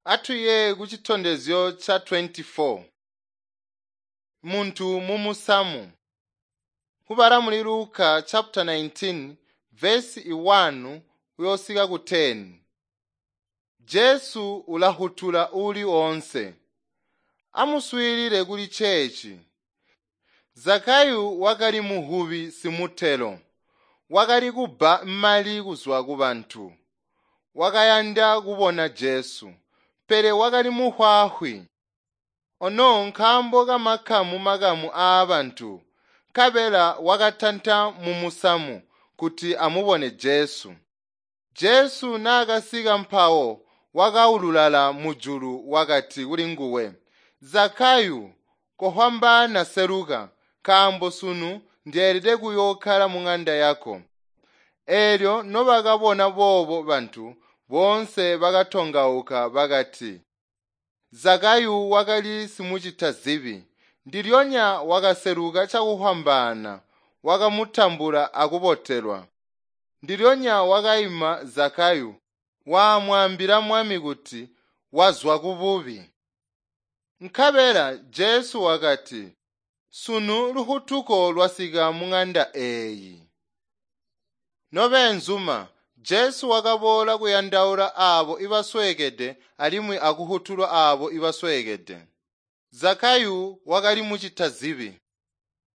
Atuye ku citondezyo ca 24. Muntu mumusamu. Kubala muli Luka chapter 19 verse 1 kuyosika ku 10. Jesu ulahutula uli onse. Amuswiilile kuli chechi. Zakayu wakali muhubi simutelo. Wakali kubba mali kuzwa ku bantu. Wakayanda kubona Jesu, pele wakali muhwahwi. Ono nkaambo kamakamu-makamu aabantu, nkabela wakatanta mumusamu kuti amubone Jesu. Jesu naakasika mpawo wakaululala mujulu wakati kulinguwe, “Zakayu, kofwambaana seluka, nkaambo sunu ndeelede kuyookkala muŋanda yako.” Eelyo nobakabona boobo bantu boonse bakatongauka bakati, Zakayu wakali simucita zibi. Ndilyonya wakaseluka cakufwambaana, wakamutambula akubotelwa. Ndilyonya wakaima Zakayu, waamwaambila Mwami kuti wazwa kububi. Nkabela Jesu wakati, “Sunu lufutuko lwasika muŋanda eeyi.” Nobeenzuma, Jesu wakaboola kuyandaula aabo ibasweekede alimwi akuhutula aabo ibasweekede. Zakayu wakali mucita zibi.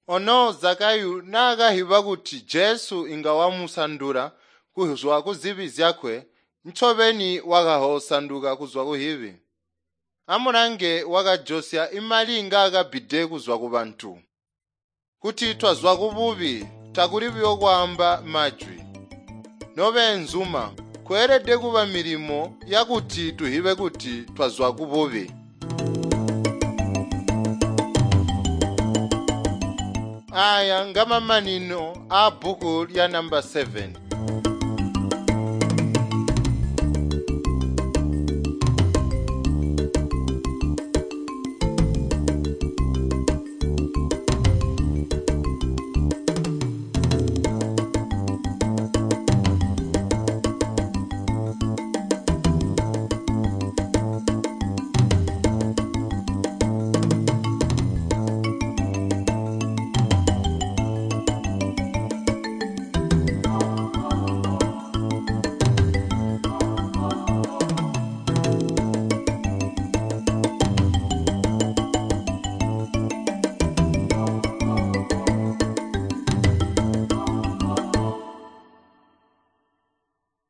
Ono Zakayu naakahiba kuti Jesu inga wamusandula kuzwa kuzibi zyakwe, ncobeni wakahosanduka kuzwa kuhibi. Amulange wakajosya imali ngaakabbide kuzwa kubantu. Kuti twazwa kububi takuli buyo kwaamba majwi. Nobeenzuma, kweelede kuba milimo yakuti tuhibe kuti twazwa kububi. Aya ngamamanino aabbuku lya namba 7.